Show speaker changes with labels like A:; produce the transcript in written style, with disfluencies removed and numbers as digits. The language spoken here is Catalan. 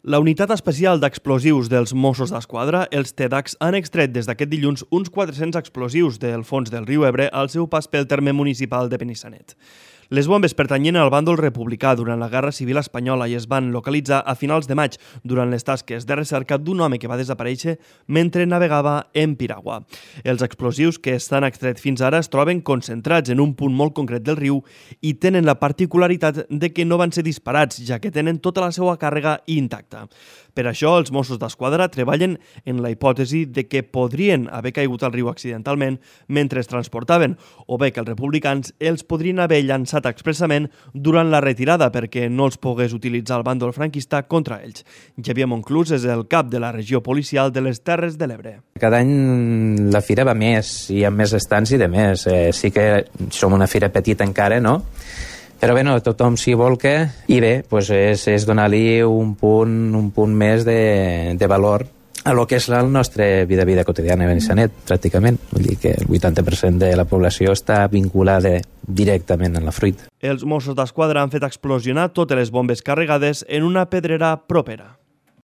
A: La Unitat Especial d'Explosius dels Mossos d'Esquadra, els TEDx, han extret des d'aquest dilluns uns 400 explosius del fons del riu Ebre al seu pas pel terme municipal de Benissanet. Les bombes pertanyien al bàndol republicà durant la Guerra Civil Espanyola i es van localitzar a finals de maig durant les tasques de recerca d'un home que va desaparèixer mentre navegava en piragua. Els explosius que estan extrets fins ara es troben concentrats en un punt molt concret del riu i tenen la particularitat de que no van ser disparats, ja que tenen tota la seva càrrega intacta. Per això, els Mossos d'Esquadra treballen en la hipòtesi de que podrien haver caigut al riu accidentalment mentre es transportaven, o bé que els republicans els podrien haver llançat expressament durant la retirada perquè no els pogués utilitzar el bàndol franquista contra ells. Xavier Monclús és el cap de la regió policial de les Terres de l'Ebre.
B: Cada any la fira va més, hi ha més estants i de més. Sí que som una fira petita encara, no? Però bé, tothom s'hi volca i bé, és donar-li un punt més de valor a lo que és la nostra vida quotidiana a Benissanet, pràcticament. Vull dir que el 80% de la població està vinculada directament amb la fruita.
A: Els Mossos d'Esquadra han fet explosionar totes les bombes carregades en una pedrera propera.